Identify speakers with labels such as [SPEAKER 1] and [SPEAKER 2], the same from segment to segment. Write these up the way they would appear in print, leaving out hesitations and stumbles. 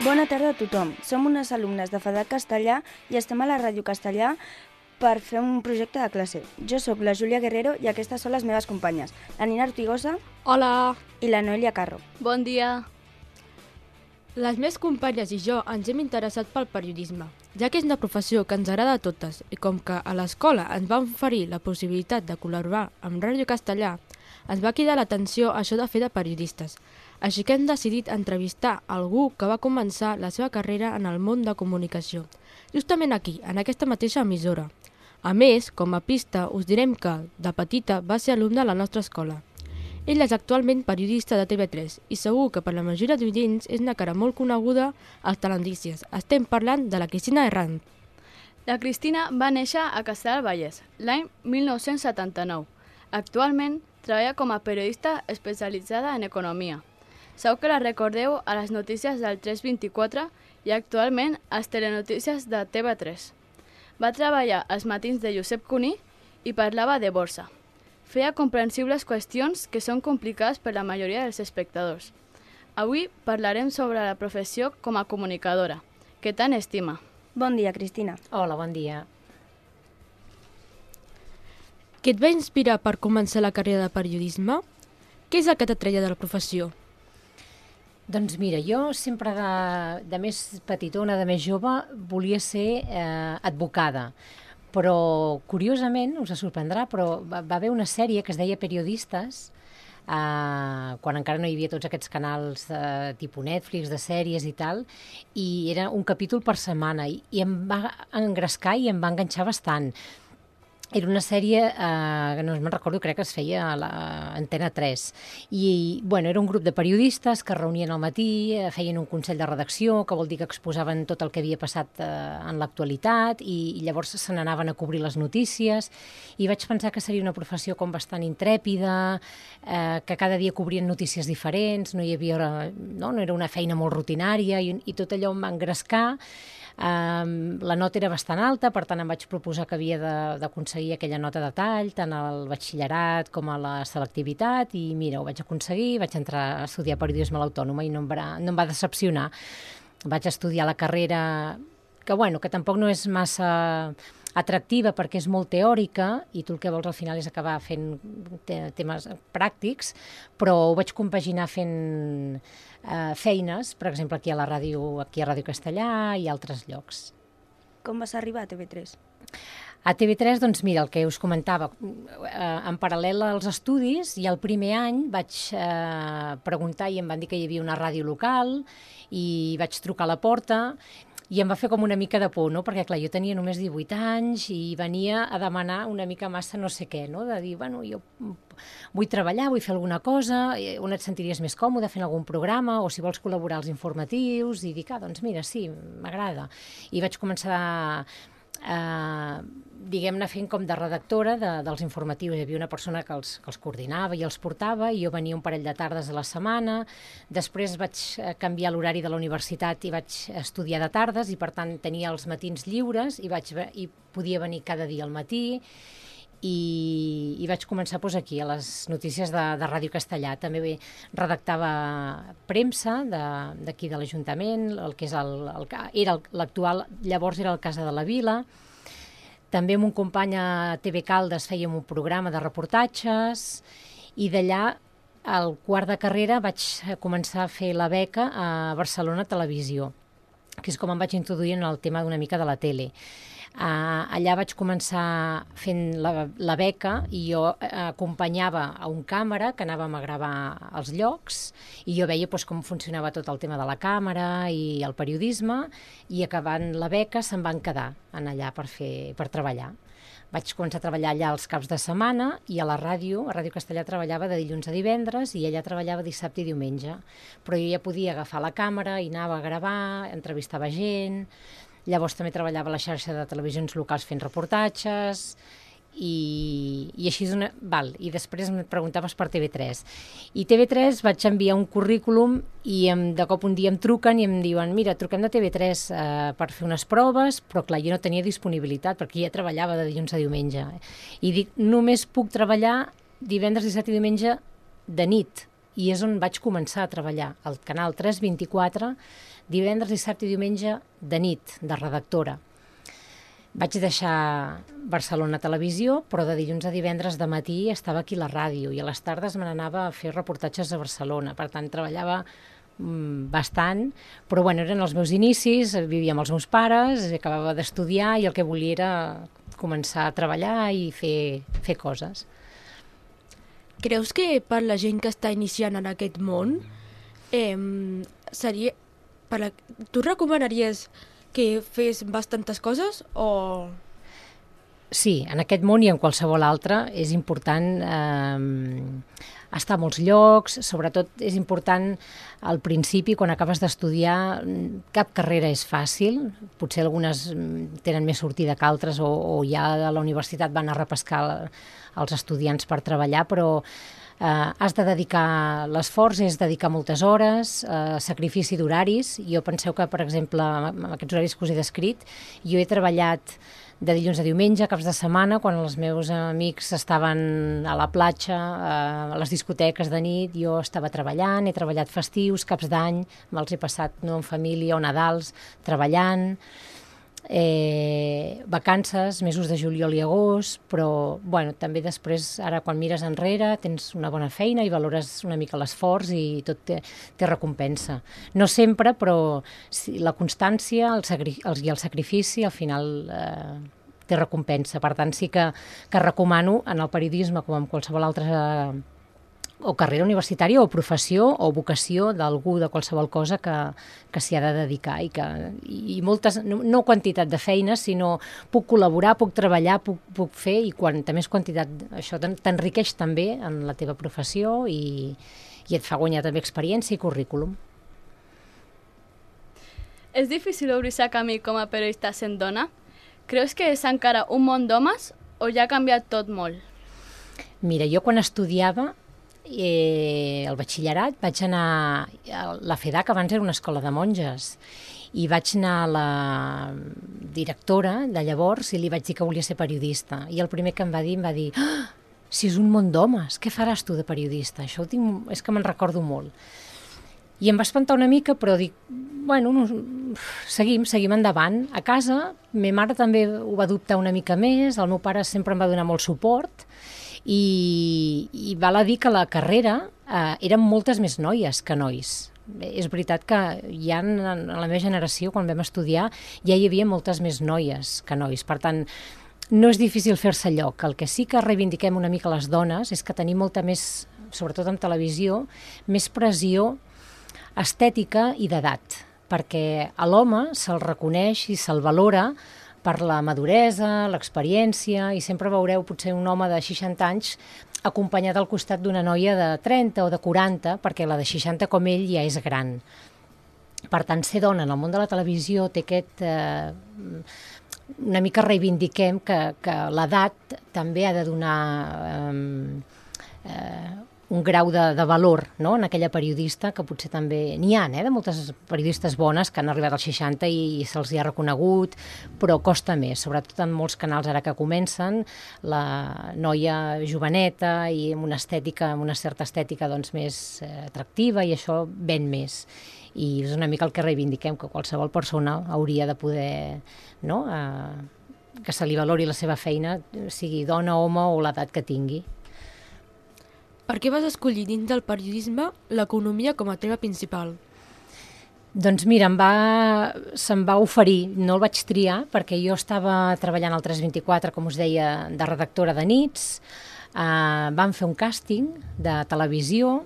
[SPEAKER 1] Bona tarda a tothom. Som unes alumnes de FEDAC Castellà i estem a la Ràdio Castellà per fer un projecte de classe. Jo sóc la Júlia Guerrero i aquestes són les meves companyes, la Nina Ortigosa
[SPEAKER 2] Hola!
[SPEAKER 1] i la Noelia Carro.
[SPEAKER 2] Bon dia! Les meves companyes i jo ens hem interessat pel periodisme, ja que és una professió que ens agrada a totes i com que a l'escola ens van oferir la possibilitat de col·laborar amb Ràdio Castellà, ens va cridar l'atenció això de fer de periodistes. Així que hem decidit entrevistar algú que va començar la seva carrera en el món de comunicació, justament aquí, en aquesta mateixa emissora. A més, com a pista, us direm que, de petita, va ser alumne a la nostra escola. Ell és actualment periodista de TV3 i segur que per la majoria d'oients és una cara molt coneguda als telenotícies. Estem parlant de la Cristina Herrán.
[SPEAKER 3] La Cristina va néixer a Castellar del Vallès l'any 1979. Actualment treballa com a periodista especialitzada en economia. Segur que la recordeu a les notícies del 324 i actualment a les telenotícies de TV3. Va treballar als matins de Josep Cuní i parlava de borsa. Feia comprensibles qüestions que són complicades per la majoria dels espectadors. Avui parlarem sobre la professió com a comunicadora, que tant estima.
[SPEAKER 1] Bon dia, Cristina.
[SPEAKER 4] Hola, bon dia.
[SPEAKER 2] Què et va inspirar per començar la carrera de periodisme? Què és el que t'atreia de la professió?
[SPEAKER 4] Doncs mira, jo sempre de més petitona, de més jove, volia ser advocada. Però, curiosament, us sorprendrà, però va haver una sèrie que es deia Periodistes, quan encara no hi havia tots aquests canals tipus Netflix, de sèries i tal, i era un capítol per setmana, i em va engrescar i em va enganxar bastant. Era una sèrie que no me'n recordo, crec que es feia a l'Antena 3. I, bueno, era un grup de periodistes que es reunien al matí, feien un consell de redacció, que vol dir que exposaven tot el que havia passat en l'actualitat, i llavors se n'anaven a cobrir les notícies. I vaig pensar que seria una professió com bastant intrèpida, que cada dia cobrien notícies diferents, no era una feina molt rutinària, i tot allò em va engrescar. La nota era bastant alta, per tant em vaig proposar que havia d'aconseguir aquella nota de tall, tant al batxillerat com a la selectivitat, i mira, ho vaig aconseguir, vaig entrar a estudiar periodisme a l'Autònoma i no em va decepcionar. Vaig estudiar la carrera, que tampoc no és massa atractiva perquè és molt teòrica i tu el que vols al final és acabar fent temes pràctics, però ho vaig compaginar fent feines, per exemple, aquí a Ràdio Castellà i altres llocs.
[SPEAKER 1] Com vas arribar a TV3?
[SPEAKER 4] A TV3, doncs mira, el que us comentava, en paral·lel als estudis, i el primer any vaig preguntar i em van dir que hi havia una ràdio local i vaig trucar a la porta i em va fer com una mica de por, no? Perquè, clar, jo tenia només 18 anys i venia a demanar una mica massa no sé què, no? De dir, bueno, jo vull treballar, vull fer alguna cosa, on et sentiries més còmode fent algun programa, o si vols col·laborar als informatius, i dic, doncs mira, sí, m'agrada. I vaig començar diguem-ne fent com de redactora dels informatius. Hi havia una persona que els coordinava i els portava, i jo venia un parell de tardes a la setmana. Després vaig canviar l'horari de la universitat i vaig estudiar de tardes, i per tant tenia els matins lliures i podia venir cada dia al matí. I vaig començar aquí, a les notícies de Ràdio Castellà. També redactava premsa d'aquí de l'Ajuntament, el que era l'actual, llavors era el Casa de la Vila. També amb un company a TV Caldes fèiem un programa de reportatges, i d'allà, al quart de carrera, vaig començar a fer la beca a Barcelona Televisió, que és com em vaig introduir en el tema d'una mica de la tele. Allà vaig començar fent la beca, i jo acompanyava a un càmera que anàvem a gravar als llocs, i jo veia com funcionava tot el tema de la càmera i el periodisme, i acabant la beca se'n van quedar allà per treballar. Vaig començar a treballar allà els caps de setmana, i a Ràdio Castellà treballava de dilluns a divendres, i ella treballava dissabte i diumenge. Però jo ja podia agafar la càmera i anava a gravar, entrevistava gent. Llavors també treballava a la xarxa de televisions locals fent reportatges, i així i després em preguntaves per TV3. I TV3 vaig enviar un currículum, i de cop un dia em truquen i em diuen, mira, truquem de TV3 per fer unes proves, però clar, jo no tenia disponibilitat perquè ja treballava de dilluns a diumenge. I dic, només puc treballar divendres, dissabte i diumenge de nit, i és on vaig començar a treballar, al canal 324, divendres, dissabte i diumenge de nit, de redactora. Vaig deixar Barcelona Televisió, però de dilluns a divendres de matí estava aquí a la ràdio i a les tardes me n'anava a fer reportatges a Barcelona. Per tant, treballava bastant, però bueno, eren els meus inicis, vivia amb els meus pares, acabava d'estudiar i el que volia era començar a treballar i fer coses.
[SPEAKER 2] Creus que per la gent que està iniciant en aquest món, seria... Tu recomanaries que fes bastantes coses o...?
[SPEAKER 4] Sí, en aquest món i en qualsevol altre és important estar a molts llocs, sobretot és important al principi, quan acabes d'estudiar, cap carrera és fàcil, potser algunes tenen més sortida que altres o ja a la universitat van a repescar els estudiants per treballar, però has de dedicar l'esforç, és dedicar moltes hores, sacrifici d'horaris. Jo penseu que, per exemple, amb aquests horaris que us he descrit, jo he treballat de dilluns a diumenge, caps de setmana, quan els meus amics estaven a la platja, a les discoteques de nit, jo estava treballant, he treballat festius, caps d'any, me'ls he passat no en família o Nadals, treballant, vacances, mesos de juliol i agost, però bueno, també després, ara quan mires enrere, tens una bona feina i valores una mica l'esforç i tot té recompensa. No sempre, però la constància i el sacrifici al final té recompensa. Per tant, sí que recomano en el periodisme, com en qualsevol altra o carrera universitària o professió o vocació d'algú de qualsevol cosa que s'hi ha de dedicar i moltes, no quantitat de feines, sinó puc col·laborar, puc treballar, puc fer i quanta més quantitat, això t'enriqueix també en la teva professió i et fa guanyar també experiència i currículum.
[SPEAKER 3] És difícil obrir-se camí com a periodista sent dona? Creus que és encara un món d'homes o ja ha canviat tot molt?
[SPEAKER 4] Mira, jo quan estudiava el batxillerat vaig anar a la FEDAC, abans era una escola de monges, i vaig anar a la directora de llavors i li vaig dir que volia ser periodista. I el primer que em va dir, si és un món d'homes, què faràs tu de periodista? Això és que me'n recordo molt. I em va espantar una mica, però dic, bueno, seguim endavant. A casa, ma mare també ho va dubtar una mica més, el meu pare sempre em va donar molt suport, i val a dir que la carrera eren moltes més noies que nois. És veritat que ja en la meva generació, quan vam estudiar, ja hi havia moltes més noies que nois. Per tant, no és difícil fer-se lloc. El que sí que reivindiquem una mica les dones és que tenim molta més, sobretot en televisió, més pressió estètica i d'edat, perquè a l'home se'l reconeix i se'l valora per la maduresa, l'experiència, i sempre veureu potser un home de 60 anys acompanyat al costat d'una noia de 30 o de 40, perquè la de 60 com ell ja és gran. Per tant, ser dona en el món de la televisió té aquest... una mica reivindiquem que l'edat també ha de donar un grau de valor, no?, en aquella periodista, que potser també n'hi ha, de moltes periodistes bones que han arribat als 60 i se'ls hi ha reconegut, però costa més, sobretot en molts canals ara que comencen, la noia joveneta i amb una certa estètica doncs, més atractiva, i això ven més. I és una mica el que reivindiquem, que qualsevol persona hauria de poder, no?, que se li valori la seva feina, sigui dona, home o l'edat que tingui.
[SPEAKER 2] Per què vas escollir dins del periodisme l'economia com a tema principal?
[SPEAKER 4] Doncs mira, se'm va oferir, no el vaig triar, perquè jo estava treballant al 324, com us deia, de redactora de nits, vam fer un càsting de televisió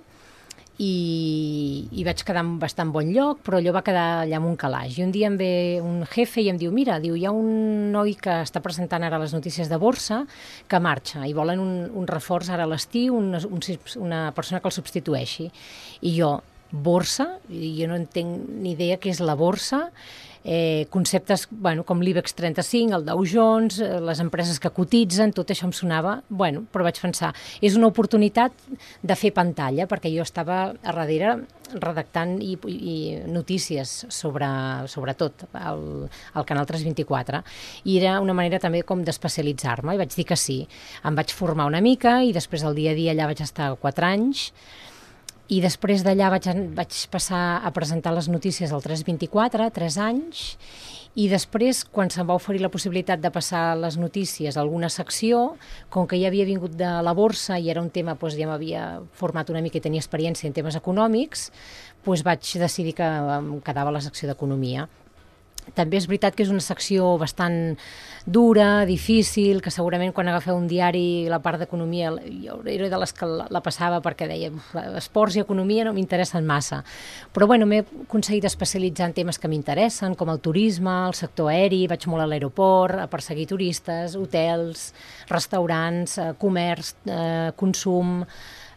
[SPEAKER 4] i vaig quedar en bastant bon lloc, però allò va quedar allà amb un calaix. I un dia em ve un jefe i em diu, mira, hi ha un noi que està presentant ara les notícies de borsa que marxa i volen un reforç ara a l'estiu, una persona que el substitueixi. I jo, borsa? Jo no entenc ni idea què és la borsa. Conceptes com l'IBEX 35, el Dow Jones, les empreses que cotitzen, tot això em sonava, però vaig pensar, és una oportunitat de fer pantalla, perquè jo estava a darrere redactant i notícies sobretot al canal 324, i era una manera també com d'especialitzar-me, i vaig dir que sí. Em vaig formar una mica i després el dia a dia allà vaig estar 4 anys, I després d'allà vaig passar a presentar les notícies al 324, 3 anys, i després, quan se'm va oferir la possibilitat de passar les notícies a alguna secció, com que ja havia vingut de la borsa i era un tema, doncs ja m'havia format una mica i tenia experiència en temes econòmics, doncs vaig decidir que em quedava a la secció d'Economia. També és veritat que és una secció bastant dura, difícil, que segurament quan agafeu un diari la part d'economia, jo era de les que la passava perquè deia esports i economia no m'interessen massa. Però bueno, m'he aconseguit especialitzar en temes que m'interessen, com el turisme, el sector aeri, vaig molt a l'aeroport, a perseguir turistes, hotels, restaurants, comerç, consum,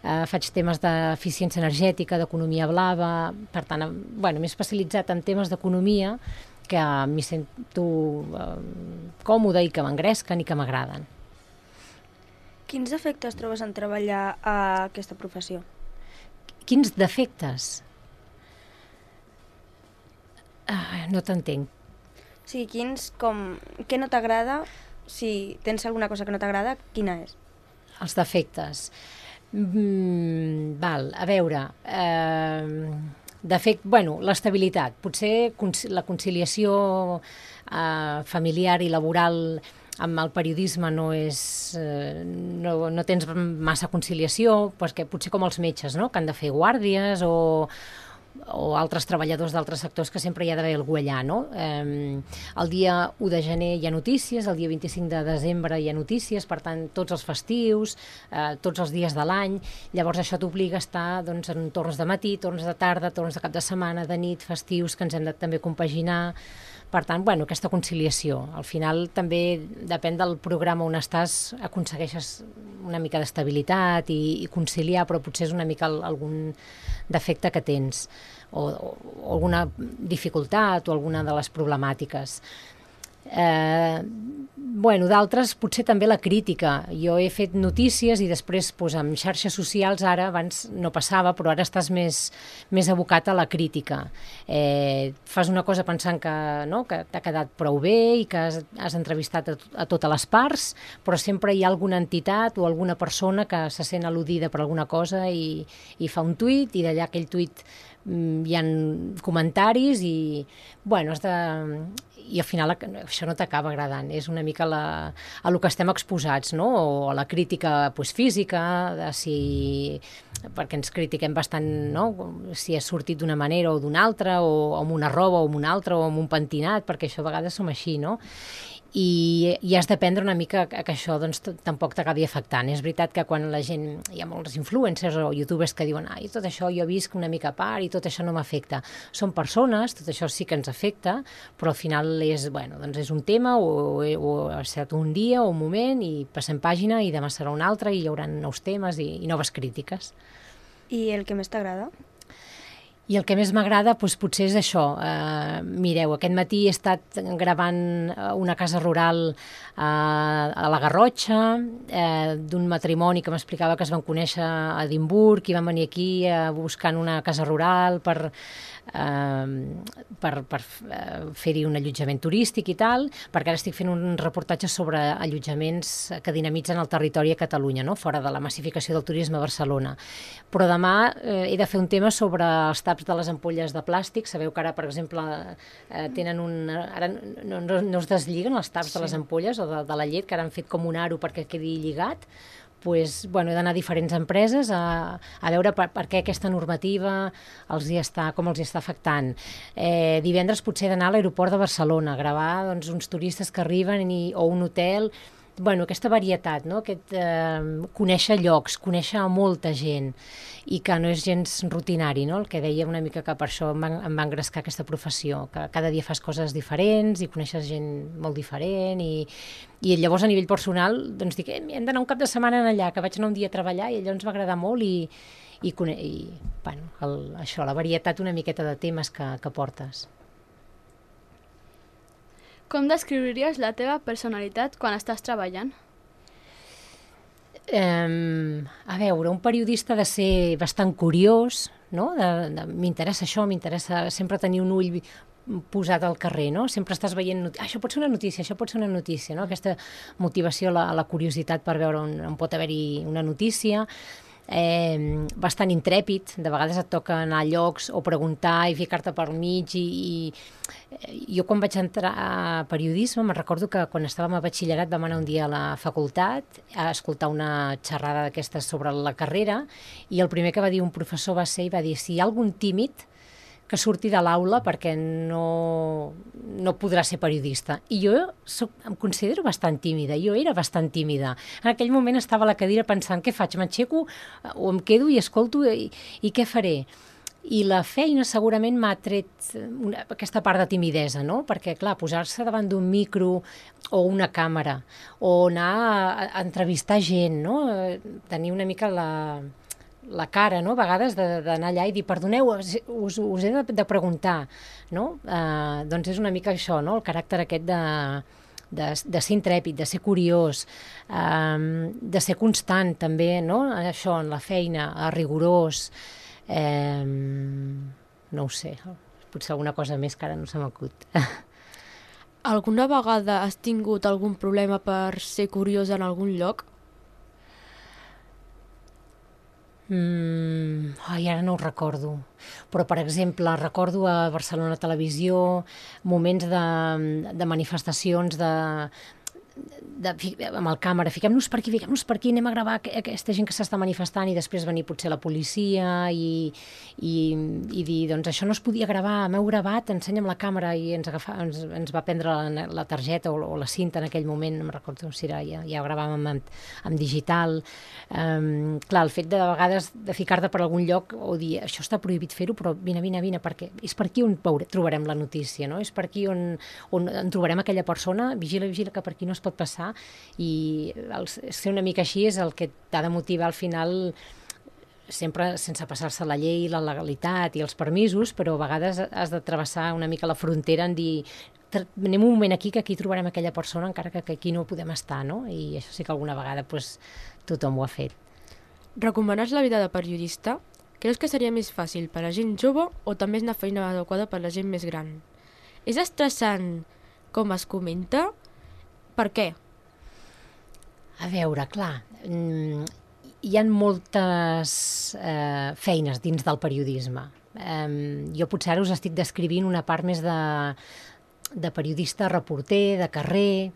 [SPEAKER 4] faig temes d'eficiència energètica, d'economia blava, per tant, bueno, m'he especialitzat en temes d'economia que m'hi sento còmode i que m'engresquen i que m'agraden.
[SPEAKER 1] Quins defectes trobes en treballar a aquesta professió?
[SPEAKER 4] Quins defectes? No t'entenc.
[SPEAKER 1] Sí, què no t'agrada? Si tens alguna cosa que no t'agrada, quina és?
[SPEAKER 4] Els defectes. Val, a veure... bueno, l'estabilitat. Potser la conciliació familiar i laboral amb el periodisme no tens massa conciliació, perquè potser com els metges, no?, que han de fer guàrdies o altres treballadors d'altres sectors que sempre hi ha d'haver algú allà, no? El dia 1 de gener hi ha notícies, el dia 25 de desembre hi ha notícies, per tant, tots els festius, tots els dies de l'any, llavors això t'obliga a estar doncs, en torns de matí, torns de tarda, torns de cap de setmana, de nit, festius, que ens hem de també compaginar. Per tant, bueno, aquesta conciliació. Al final també depèn del programa on estàs, aconsegueixes una mica d'estabilitat i conciliar, però potser és una mica algun defecte que tens o alguna dificultat o alguna de les problemàtiques. Bueno, d'altres potser també la crítica. Jo he fet notícies i després amb xarxes socials ara, abans no passava, però ara estàs més abocat a la crítica. Fas una cosa pensant que t'ha quedat prou bé i que has entrevistat a totes les parts, però sempre hi ha alguna entitat o alguna persona que se sent al·ludida per alguna cosa i fa un tuit i d'allà aquell tuit hi ha comentaris i bueno, i al final això no t'acaba agradant, és una mica a el que estem exposats, no? O a la crítica física, perquè ens critiquem bastant, no? Si has sortit d'una manera o d'una altra, o amb una roba o amb una altra, o amb un pentinat, perquè això a vegades som així, no? I has d'aprendre una mica que això doncs, tampoc t'acabi afectant. És veritat que quan la gent, hi ha molts influencers o youtubers que diuen tot això jo visc una mica a part i tot això no m'afecta. Són persones, tot això sí que ens afecta, però al final és un tema o ha estat un dia o un moment i passem pàgina i demà serà un altre i hi haurà nous temes i noves crítiques.
[SPEAKER 1] I el que més t'agrada?
[SPEAKER 4] I el que més m'agrada potser és això. Mireu, aquest matí he estat gravant una casa rural a la Garrotxa, d'un matrimoni que m'explicava que es van conèixer a Edimburg i van venir aquí buscant una casa rural per fer-hi un allotjament turístic i tal, perquè ara estic fent un reportatge sobre allotjaments que dinamitzen el territori a Catalunya, no? Fora de la massificació del turisme a Barcelona. Però demà he de fer un tema sobre els taps de les ampolles de plàstic. Sabeu que ara, per exemple, tenen ara no es deslliguen els taps de les ampolles o de la llet, que ara han fet com un aro perquè quedi lligat. He d'anar a diferents empreses a veure per què aquesta normativa com els hi està afectant. Divendres potser he d'anar a l'aeroport de Barcelona, a gravar uns turistes que arriben o un hotel. Aquesta varietat, no? Conèixer llocs, conèixer a molta gent i que no és gens rutinari, no? El que deia una mica que per això em va engrescar aquesta professió, que cada dia fas coses diferents i coneixes gent molt diferent i llavors a nivell personal dic, hem d'anar un cap de setmana allà, que vaig anar un dia a treballar i allò ens va agradar molt això, la varietat una miqueta de temes que portes.
[SPEAKER 3] Com descriuries la teva personalitat quan estàs treballant?
[SPEAKER 4] A veure, un periodista ha de ser bastant curiós, no? M'interessa això, m'interessa sempre tenir un ull posat al carrer, no? Sempre estàs veient, això pot ser una notícia, això pot ser una notícia, no? Aquesta motivació a la curiositat per veure on pot haver-hi una notícia. bastant intrèpid. De vegades et toca anar a llocs o preguntar i ficar-te pel mig i jo quan vaig entrar a periodisme me'n recordo que quan estàvem a batxillerat vam anar un dia a la facultat a escoltar una xerrada d'aquestes sobre la carrera i el primer que va dir un professor va ser i va dir si hi ha algun tímid que surti de l'aula perquè no podrà ser periodista. I jo em considero bastant tímida, jo era bastant tímida. En aquell moment estava a la cadira pensant què faig, m'aixeco o em quedo i escolto i què faré? I la feina segurament m'ha tret aquesta part de timidesa, no? Perquè, clar, posar-se davant d'un micro o una càmera o anar a entrevistar gent, no? Tenir una mica la cara, no? A vegades d'anar allà i dir, perdoneu, us he de preguntar, no? Doncs és una mica això, no? El caràcter aquest de ser intrèpid, de ser curiós, de ser constant també, no? Això, en la feina, rigorós, no ho sé, potser alguna cosa més que ara no se m'acut.
[SPEAKER 2] Alguna vegada has tingut algun problema per ser curiós en algun lloc?
[SPEAKER 4] Ara no ho recordo, però per exemple recordo a Barcelona Televisió moments de manifestacions amb el càmera, fiquem-nos per aquí, anem a gravar aquesta gent que s'està manifestant i després venir potser la policia i dir, doncs això no es podia gravar, m'heu gravat, ensenya amb la càmera i ens va prendre la targeta o la cinta en aquell moment, no me'n recordo si era, ja ho gravàvem amb digital. Clar, el fet de vegades de ficar-te per algun lloc o dir, això està prohibit fer-ho, però vine, perquè és per aquí on trobarem la notícia, no? És per aquí on trobarem aquella persona, vigila que per aquí no es pot passar i ser una mica així és el que t'ha de motivar al final sempre sense passar-se la llei, la legalitat i els permisos, però a vegades has de travessar una mica la frontera en dir anem un moment aquí que aquí trobarem aquella persona encara que aquí no podem estar, no? I això sí que alguna vegada tothom ho ha fet.
[SPEAKER 2] Recomanes la vida de periodista? Creus que seria més fàcil per a gent jove o també és una feina adequada per a la gent més gran? És estressant com es comenta? Per què?
[SPEAKER 4] A veure, clar, hi ha moltes feines dins del periodisme. Jo potser ara us estic descrivint una part més de periodista, reporter, de carrer.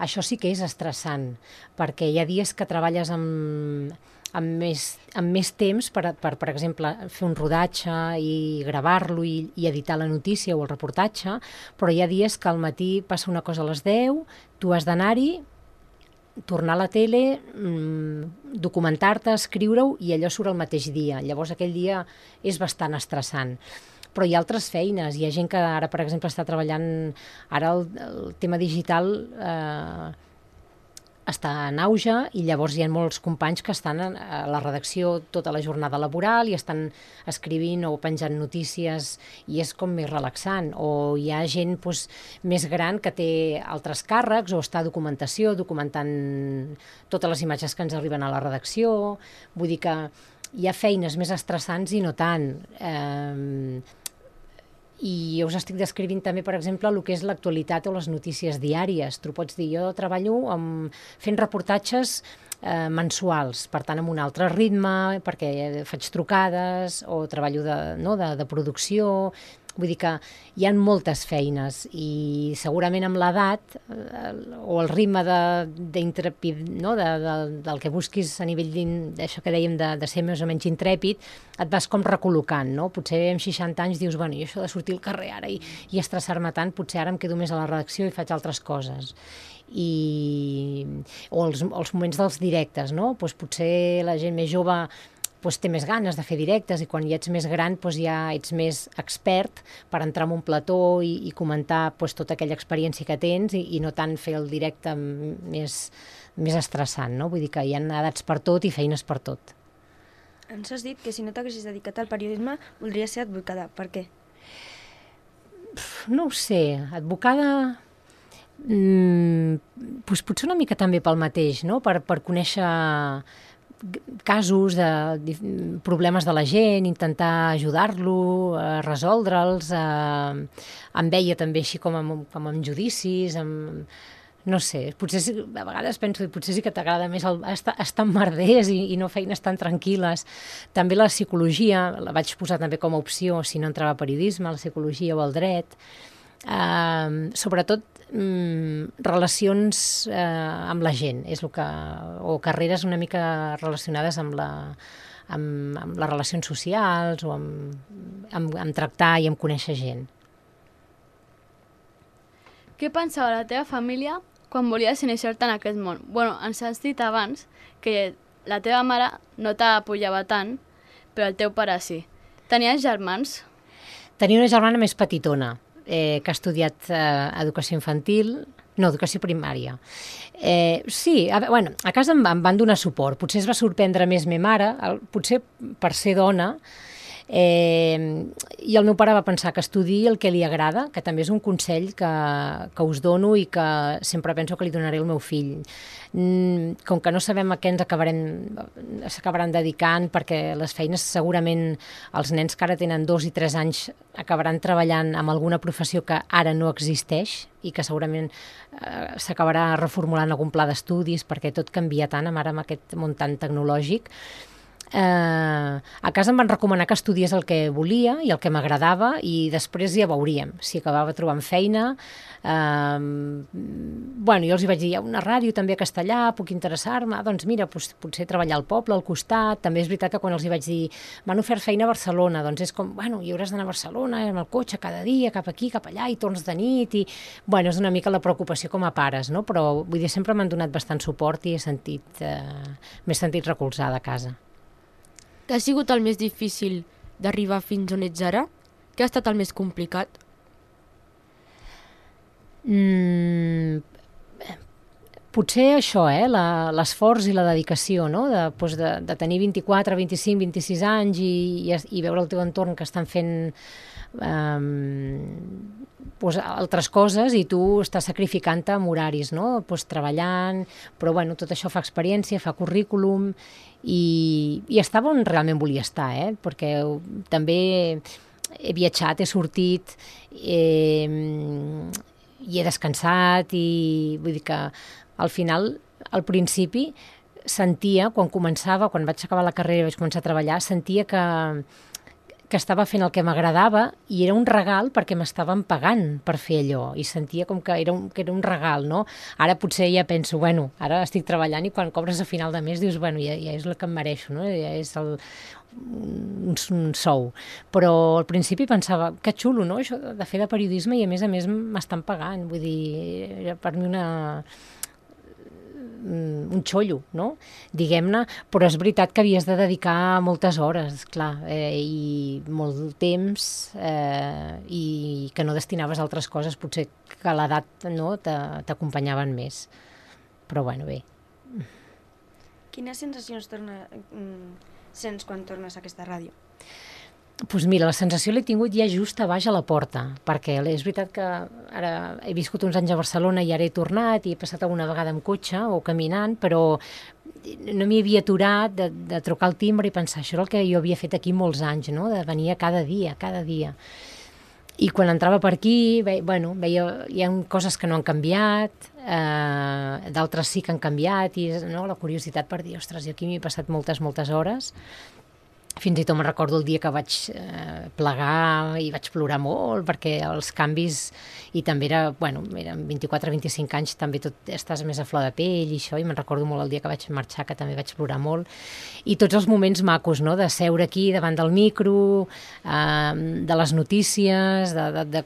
[SPEAKER 4] Això sí que és estressant, perquè hi ha dies que treballes amb més temps per exemple, fer un rodatge i gravar-lo i editar la notícia o el reportatge, però hi ha dies que al matí passa una cosa a les 10, tu has d'anar-hi, tornar a la tele, documentar-te, escriure-ho i allò surt el mateix dia. Llavors aquell dia és bastant estressant. Però hi ha altres feines. Hi ha gent que ara, per exemple, està treballant... Ara el tema digital està en auge i llavors hi ha molts companys que estan a la redacció tota la jornada laboral i estan escrivint o penjant notícies i és com més relaxant. O hi ha gent més gran que té altres càrrecs o està a documentació, documentant totes les imatges que ens arriben a la redacció. Vull dir que hi ha feines més estressants i no tant. I us estic descrivint també, per exemple, el que és l'actualitat o les notícies diàries. Tu pots dir, jo treballo fent reportatges mensuals, per tant, amb un altre ritme, perquè faig trucades o treballo de producció. Vull dir que hi ha moltes feines i segurament amb l'edat o el ritme del que busquis a nivell d'això que dèiem de ser més o menys intrèpid, et vas com recol·locant, no? Potser amb 60 anys dius, bueno, i això de sortir al carrer ara i estressar-me tant, potser ara em quedo més a la redacció i faig altres coses. O els moments dels directes, no? Potser la gent més jove té més ganes de fer directes i quan ja ets més gran ja ets més expert per entrar en un plató i comentar tota aquella experiència que tens i no tant fer el directe més estressant, no? Vull dir que hi ha edats per tot i feines per tot.
[SPEAKER 1] Ens has dit que si no t'haguessis dedicat al periodisme voldries ser advocada. Per què?
[SPEAKER 4] No ho sé, advocada... potser una mica també pel mateix, no? Per conèixer casos de problemes de la gent, intentar ajudar-lo, resoldre'ls, em veia també així com amb judicis, no sé, potser a vegades penso, potser sí que t'agrada més estar en merders i no feines tan tranquil·les. També la psicologia, la vaig posar també com a opció, si no entrava a periodisme, la psicologia o el dret. Sobretot relacions amb la gent, és el que, o carreres una mica relacionades amb les relacions socials o amb tractar i amb conèixer gent.
[SPEAKER 3] Què pensava la teva família quan volies iniciar-te en aquest món? Bueno, ens has dit abans que la teva mare no t'apoyava tant, però el teu pare sí. Tenies germans?
[SPEAKER 4] Tenia una germana més petitona, que ha estudiat educació infantil, no, educació primària. Sí, a casa em van donar suport. Potser es va sorprendre més ma mare, potser per ser dona, i el meu pare va pensar que estudiï el que li agrada, que també és un consell que us dono i que sempre penso que li donaré al meu fill. Com que no sabem a què s'acabaran dedicant, perquè les feines segurament els nens que ara tenen 2 i 3 anys acabaran treballant amb alguna professió que ara no existeix i que segurament s'acabarà reformulant algun pla d'estudis perquè tot canvia tant ara amb aquest món tan tecnològic. A casa em van recomanar que estudiés el que volia i el que m'agradava i després ja veuríem si acabava trobant feina. Jo els hi vaig dir, hi ha una ràdio també a Castellà, puc interessar-me, doncs mira, potser treballar al poble, al costat. També és veritat que quan els hi vaig dir, m'han ofert feina a Barcelona, doncs és com, hi hauràs d'anar a Barcelona amb el cotxe cada dia, cap aquí, cap allà, i torns de nit, i és una mica la preocupació com a pares, no? Però vull dir, sempre m'han donat bastant suport i m'he sentit recolzada a casa.
[SPEAKER 2] Què ha sigut el més difícil d'arribar fins on ets ara? Què ha estat el més complicat?
[SPEAKER 4] Potser això, l'esforç i la dedicació, no? De tenir 24, 25, 26 anys i veure el teu entorn que estan fent altres coses i tu estàs sacrificant-te amb horaris, no? Treballant, però tot això fa experiència, fa currículum i estava on realment volia estar, perquè també he viatjat, he sortit i he descansat i vull dir que al final, al principi, sentia, quan vaig acabar la carrera i vaig començar a treballar, sentia que estava fent el que m'agradava i era un regal perquè m'estaven pagant per fer allò i sentia com que era un regal, no? Ara potser ja penso, ara estic treballant i quan cobres a final de mes dius, ja és el que em mereixo, no? Ja és un sou. Però al principi pensava, que xulo, no? Això de fer de periodisme i a més m'estan pagant, vull dir, era per mi un xollo, no? Diguem-ne, però és veritat que havies de dedicar moltes hores, clar, i molt temps i que no destinaves a altres coses, potser que a l'edat no, t'acompanyaven més. Però bé.
[SPEAKER 1] Quines sensacions sents quan tornes a aquesta ràdio?
[SPEAKER 4] Doncs mira, la sensació l'he tingut ja just a baix a la porta, perquè és veritat que ara he viscut uns anys a Barcelona i ara he tornat i he passat alguna vegada amb cotxe o caminant, però no m'hi havia aturat de trucar al timbre i pensar, això és el que jo havia fet aquí molts anys, no? De venir cada dia. I quan entrava per aquí, veia hi ha coses que no han canviat, d'altres sí que han canviat, i la curiositat per dir, ostres, jo aquí m'hi he passat moltes hores. Fins i tot me'n recordo el dia que vaig plegar i vaig plorar molt perquè els canvis, i també eren 24-25 anys, també tot estàs més a flor de pell i això, i me'n recordo molt el dia que vaig marxar, que també vaig plorar molt. I tots els moments macos, no?, de seure aquí davant del micro, de les notícies, de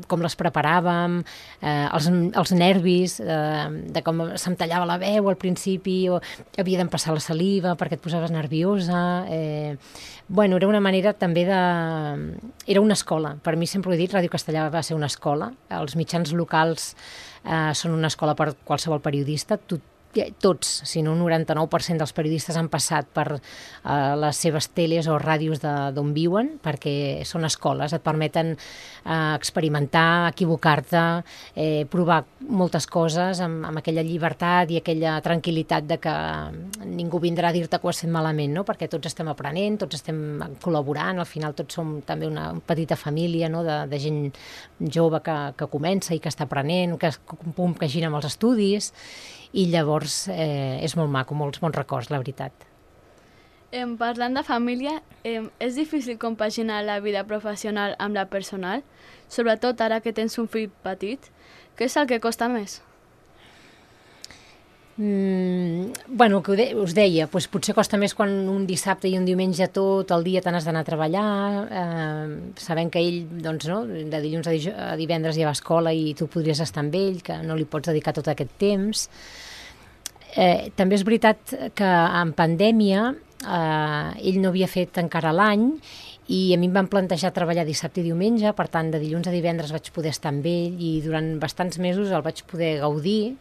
[SPEAKER 4] com les preparàvem, els nervis, de com se'm tallava la veu al principi, o havia d'empassar la saliva perquè et posaves nerviosa. Era una manera també era una escola. Per mi sempre ho he dit, Ràdio Castellà va ser una escola. Els mitjans locals són una escola per qualsevol periodista. tots, si no un 99% dels periodistes han passat per les seves teles o ràdios d'on viuen, perquè són escoles, et permeten experimentar, equivocar-te, provar moltes coses amb aquella llibertat i aquella tranquil·litat de que ningú vindrà a dir-te que ho has fet malament, no? Perquè tots estem aprenent, tots estem col·laborant, al final tots som també una petita família, no? de gent jove que comença i que està aprenent, que compagina amb els estudis, i llavors és molt maco, molts bons records, la veritat.
[SPEAKER 3] Parlant de família, és difícil compaginar la vida professional amb la personal, sobretot ara que tens un fill petit. Què és el que costa més?
[SPEAKER 4] Bueno, el que us deia, doncs potser costa més quan un dissabte i un diumenge tot el dia te n'has d'anar a treballar, sabent que ell, doncs, no, de dilluns a divendres ja va a escola i tu podries estar amb ell, que no li pots dedicar tot aquest temps. També és veritat que en pandèmia ell no havia fet encara l'any i a mi em van plantejar treballar dissabte i diumenge, per tant, de dilluns a divendres vaig poder estar amb ell i durant bastants mesos el vaig poder gaudir.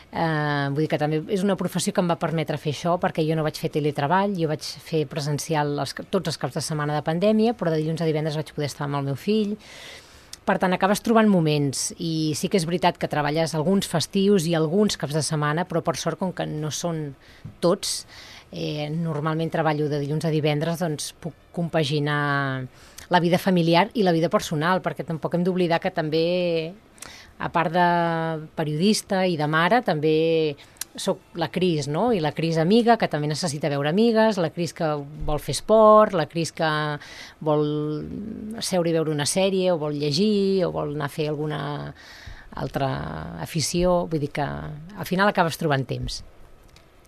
[SPEAKER 4] Vull dir que també és una professió que em va permetre fer això, perquè jo no vaig fer teletreball, jo vaig fer presencial tots els caps de setmana de pandèmia, però de dilluns a divendres vaig poder estar amb el meu fill. Per tant, acabes trobant moments, i sí que és veritat que treballes alguns festius i alguns caps de setmana, però per sort, com que no són tots, normalment treballo de dilluns a divendres, doncs puc compaginar la vida familiar i la vida personal, perquè tampoc hem d'oblidar que també, a part de periodista i de mare, també soc la Cris, no? I la Cris amiga, que també necessita veure amigues, la Cris que vol fer esport, la Cris que vol seure i veure una sèrie, o vol llegir, o vol anar a fer alguna altra afició. Vull dir que al final acabes trobant temps.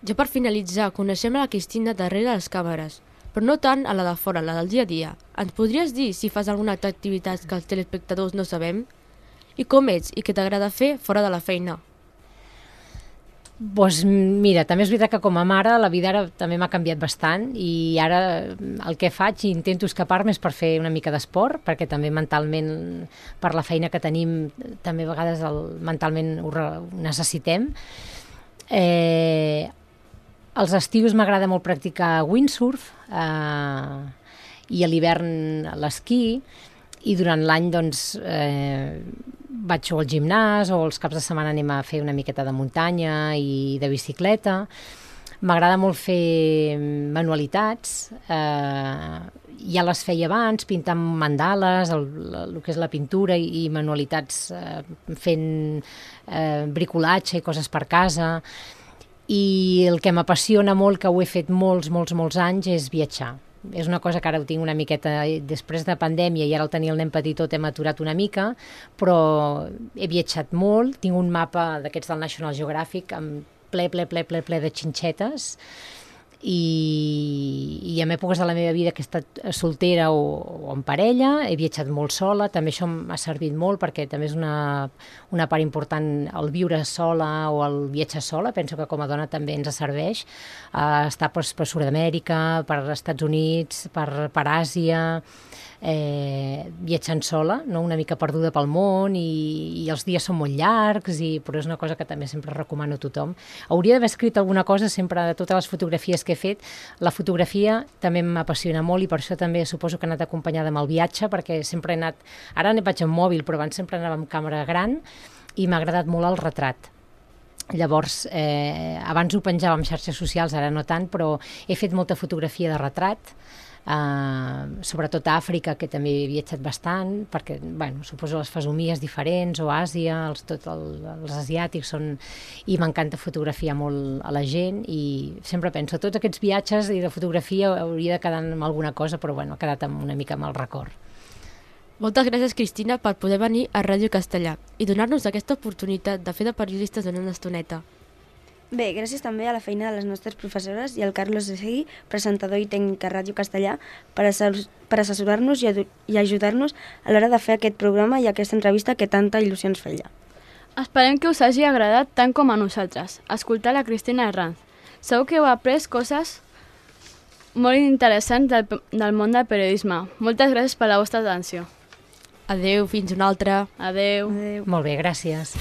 [SPEAKER 2] Ja per finalitzar, coneixem a la Cristina darrere les càmeres, però no tant a la de fora, la del dia a dia. Ens podries dir si fas alguna altra activitat que els telespectadors no sabem? I com ets i què t'agrada fer fora de la feina?
[SPEAKER 4] Doncs mira, també és veritat que com a mare la vida ara també m'ha canviat bastant i ara el que faig i intento escapar-me és per fer una mica d'esport, perquè també mentalment, per la feina que tenim, també a vegades mentalment ho necessitem. Els estius m'agrada molt practicar windsurf i a l'hivern l'esquí, i durant l'any doncs vaig al gimnàs o els caps de setmana anem a fer una miqueta de muntanya i de bicicleta. M'agrada molt fer manualitats, ja les feia abans, pintar mandales, el que és la pintura i manualitats fent bricolatge i coses per casa. I el que m'apassiona molt, que ho he fet molts anys, és viatjar. És una cosa que ara ho tinc una miqueta després de pandèmia i ara al tenir el nen petitot hem aturat una mica, però he viatjat molt, tinc un mapa d'aquests del National Geographic amb ple de xinxetes i en èpoques de la meva vida que he estat soltera o en parella, he viatjat molt sola, també això m'ha servit molt perquè també és una part important el viure sola o el viatjar sola, penso que com a dona també ens serveix estar per Sud-amèrica, per Estats Units, per Àsia, viatjant sola, no? Una mica perduda pel món i els dies són molt llargs, però és una cosa que també sempre recomano a tothom. Hauria d'haver escrit alguna cosa sempre de totes les fotografies que he fet. La fotografia també m'apassiona molt i per això també suposo que he anat acompanyada amb el viatge, perquè sempre he anat, ara vaig amb mòbil, però abans sempre anava amb càmera gran i m'ha agradat molt el retrat. Llavors, abans ho penjava en xarxes socials, ara no tant, però he fet molta fotografia de retrat, sobretot a Àfrica, que també he viatjat bastant, perquè suposo les fesomies diferents, o Àsia, els asiàtics són... I m'encanta fotografiar molt a la gent i sempre penso, tots aquests viatges i de fotografia hauria de quedar amb alguna cosa, però ha quedat una mica amb el record.
[SPEAKER 2] Moltes gràcies, Cristina, per poder venir a Ràdio Castellà i donar-nos aquesta oportunitat de fer de periodistes en una estoneta.
[SPEAKER 1] Bé, gràcies també a la feina de les nostres professores i al Carlos Segui, presentador i tècnic a Ràdio Castellà, per assessorar-nos i ajudar-nos a l'hora de fer aquest programa i aquesta entrevista que tanta il·lusió ens feia.
[SPEAKER 3] Esperem que us hagi agradat tant com a nosaltres, escoltar la Cristina Herranz. Segur que heu après coses molt interessants del món del periodisme. Moltes gràcies per la vostra atenció.
[SPEAKER 2] Adeu, fins una altra.
[SPEAKER 3] Adeu.
[SPEAKER 4] Molt bé, gràcies.